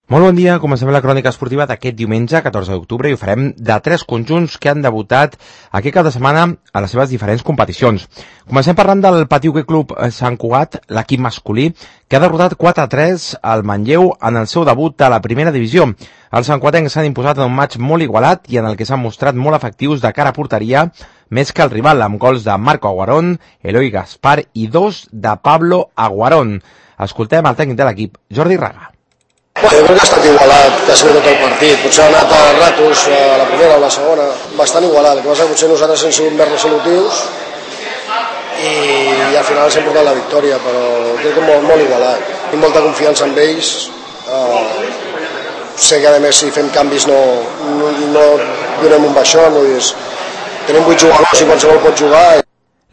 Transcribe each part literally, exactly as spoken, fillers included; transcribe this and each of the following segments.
Molt bon dia, comencem la crònica esportiva d'aquest diumenge, catorze d'octubre, i ho farem de tres conjunts que han debutat aquest cap de setmana a les seves diferents competicions. Comencem parlant del Patí Hoquei Club Sant Cugat, l'equip masculí, que ha derrotat quatre a tres al Manlleu en el seu debut a la primera divisió. Els santcuatencs s'han imposat en un matx molt igualat i en el que s'han mostrat molt efectius de cara a porteria, més que el rival, amb gols de Marco Aguarón, Eloi Gaspar i dos de Pablo Aguarón. Escoltem el tècnic de l'equip, Jordi Raga. Jo crec que ha estat igualat quasi tot el partit, potser ha anat a ratos a la primera o la segona, bastant igualat, el que passa que potser nosaltres hem sigut més resolutius i, i al final s'ha portat la victòria, però crec que molt, molt igualat. Tinc molta confiança en ells, uh, sé que a més si fem canvis no, no, no donem un baixón, no és, tenim vuit jugadors i qualsevol pot jugar.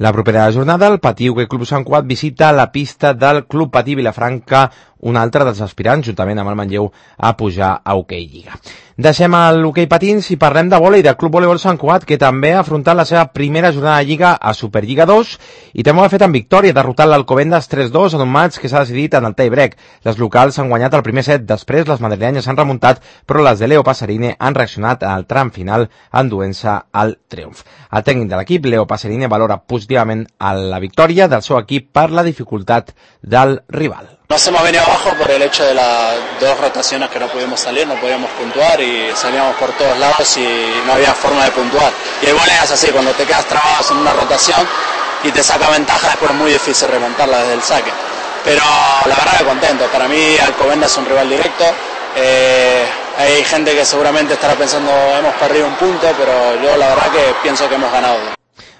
La propera jornada, el Patí Hoquei Club Sant Cugat visita la pista del Club Patí Vilafranca, un altre dels aspirants, juntament amb el Manlleu, a pujar a Hoquei Lliga. Deixem l'hoquei patins i parlem de vòlei del Club Voleibol Sant Cugat, que també ha afrontat la seva primera jornada de Lliga a Superliga dos i també ho ha fet amb victòria, derrotant l'Alcobendas tres dos en un matx que s'ha decidit en el tie-break. Les locals han guanyat el primer set, després les madrilenyes han remuntat, però les de Leo Passerine han reaccionat al tram final enduent-se al triomf. El tècnic de l'equip, Leo Passerine, valora positivament la victòria del seu equip per la dificultat del rival. Nos hemos venido abajo por el hecho de las dos rotaciones que no pudimos salir, no podíamos puntuar y salíamos por todos lados y no había forma de puntuar. Y el vóley es así, cuando te quedas trabado en una rotación y te saca ventaja, después es muy difícil remontarla desde el saque. Pero la verdad que contento, para mí Alcobendas es un rival directo, eh, hay gente que seguramente estará pensando hemos perdido un punto, pero yo la verdad que pienso que hemos ganado.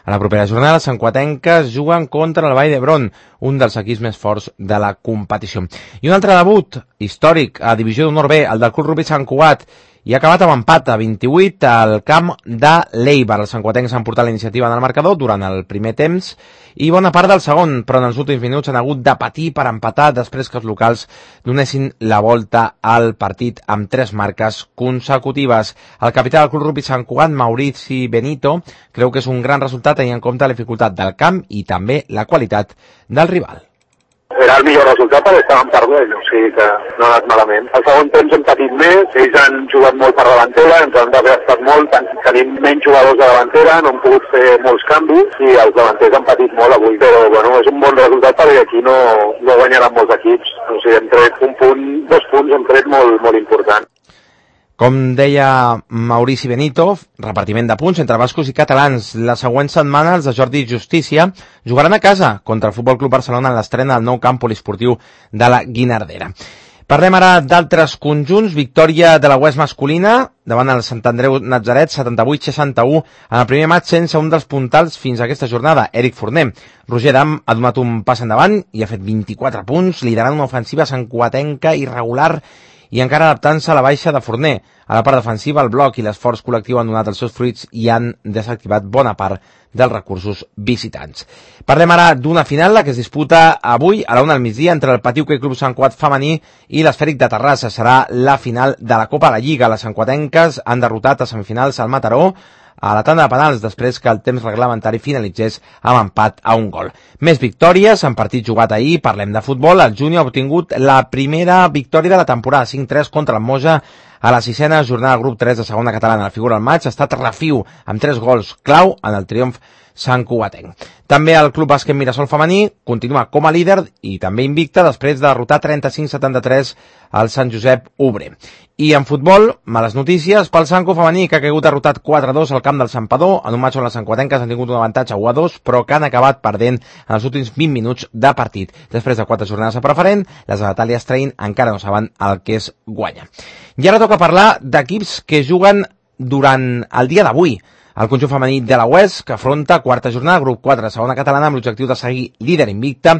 A la propera jornada, les santcuatenques juguen contra el Vall d'Hebron, un dels equips més forts de la competició. I un altre debut històric a Divisió d'Honor B, el del Club Rugby Sant Cugat, i ha acabat amb empat a vint-i-vuit al camp de l'Eibar. Els santcuatencs han portat la iniciativa en el marcador durant el primer temps i bona part del segon, però en els últims minuts han hagut de patir per empatar després que els locals donessin la volta al partit amb tres marques consecutives. El capità del Club Rugby Sant Cugat, Maurici Benito, creu que és un gran resultat tenint en compte la dificultat del camp i també la qualitat del rival. Era el millor resultat perquè estàvem perdent, o sigui que no ha anat malament. Al segon temps hem patit més, ells han jugat molt per davantera, ens han desgastat molt, tenim menys jugadors de davantera, no hem pogut fer molts canvis i els davanters han patit molt avui, però bueno, és un bon resultat perquè aquí no, no guanyaran molts equips, o sigui, hem tret un punt, dos punts hem tret molt, molt important. Com deia Maurici Benito, repartiment de punts entre bascos i catalans. La següent setmana els de Jordi Justícia jugaran a casa contra el Futbol Club Barcelona en l'estrena del nou camp poliesportiu de la Guinardera. Parlem ara d'altres conjunts. Victòria de la Oest masculina davant el Sant Andreu Natzaret, setanta-vuit seixanta-u en el primer matx sense un dels puntals fins a aquesta jornada, Eric Forner. Roger Dam ha donat un pas endavant i ha fet vint-i-quatre punts, liderant una ofensiva santcuatenca irregular i encara adaptant-se a la baixa de Forner. A la part defensiva, el bloc i l'esforç col·lectiu han donat els seus fruits i han desactivat bona part dels recursos visitants. Parlem ara d'una final, la que es disputa avui a la una del migdia entre el Patí Hoquei Club Sant Cugat femení i l'Esfèric de Terrassa. Serà la final de la Copa de la Lliga. Les santcuatenques han derrotat a semifinals al Mataró a la tanda de penals després que el temps reglamentari finalitzés amb empat a un gol. Més victòries en partit jugat ahir. Parlem de futbol. El Júnior ha obtingut la primera victòria de la temporada, cinc tres contra el Moja a la sisena jornada del grup tres de segona catalana. La figura del maig ha estat Rafiu amb tres gols clau en el triomf santcugatenc. També el Club Bàsquet Mirasol femení continua com a líder i també invicta després de derrotar trenta-cinc setanta-tres al Sant Josep Obrer. I en futbol, males notícies pel Sanco femení, que ha caigut derrotat quatre a dos al camp del Santpedor, en un matx on les santcuatenques han tingut un avantatge u a dos, però que han acabat perdent en els últims vint minuts de partit. Després de quatre jornades a preferent, les de Natàlia Strain encara no saben el que és guanya. I ara toca parlar d'equips que juguen durant el dia d'avui. El conjunt femení de la Oest, que afronta quarta jornada, grup quatre de segona catalana, amb l'objectiu de seguir líder invicta,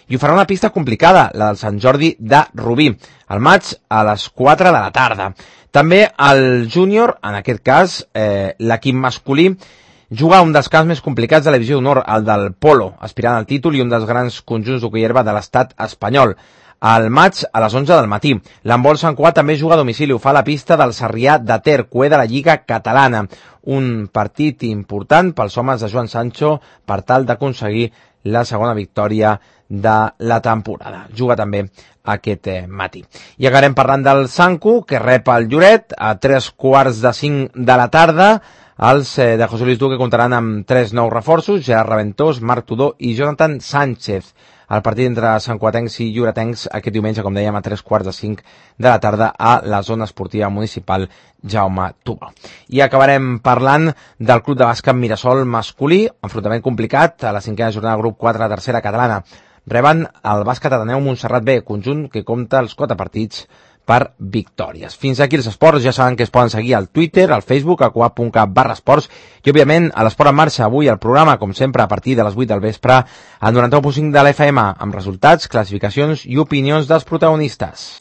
i ho farà una pista complicada, la del Sant Jordi de Rubí, el maig a les quatre de la tarda. També el júnior, en aquest cas, eh, l'equip masculí, juga un dels camps més complicats de la divisió d'honor, el del Polo, aspirant al títol i un dels grans conjunts d'hoquei herba de l'estat espanyol. Al maig a les onze del matí. L'handbol Sant Cugat també juga a domicili, ho fa a la pista del Sarrià de Ter, cué de la Lliga Catalana. Un partit important pels homes de Joan Sancho per tal d'aconseguir la segona victòria de la temporada. Juga també aquest eh, matí. I acabarem parlant del Sanku, que rep el Lloret a tres quarts de cinc de la tarda. Els eh, de José Luis Duque comptaran amb tres nous reforços, Gerard Raventós, Marc Tudó i Jonathan Sánchez. El partit entre santcugatencs i lloretencs aquest diumenge, com dèiem, a tres quarts de cinc de la tarda a la zona esportiva municipal Jaume Tubó. I acabarem parlant del club de bàsquet Mirasol masculí, enfrontament complicat a la cinquena jornada del grup quatre de tercera catalana. Reben el bàsquet Ateneu Montserrat B, conjunt que compta els quatre partits per victòries. Fins aquí els esports, ja saben que es poden seguir al Twitter, al Facebook, a coap punt cat barra esports i, òbviament, a l'Esport en Marxa, avui al programa, com sempre, a partir de les vuit del vespre, al noranta-u punt cinc de l'F M, amb resultats, classificacions i opinions dels protagonistes.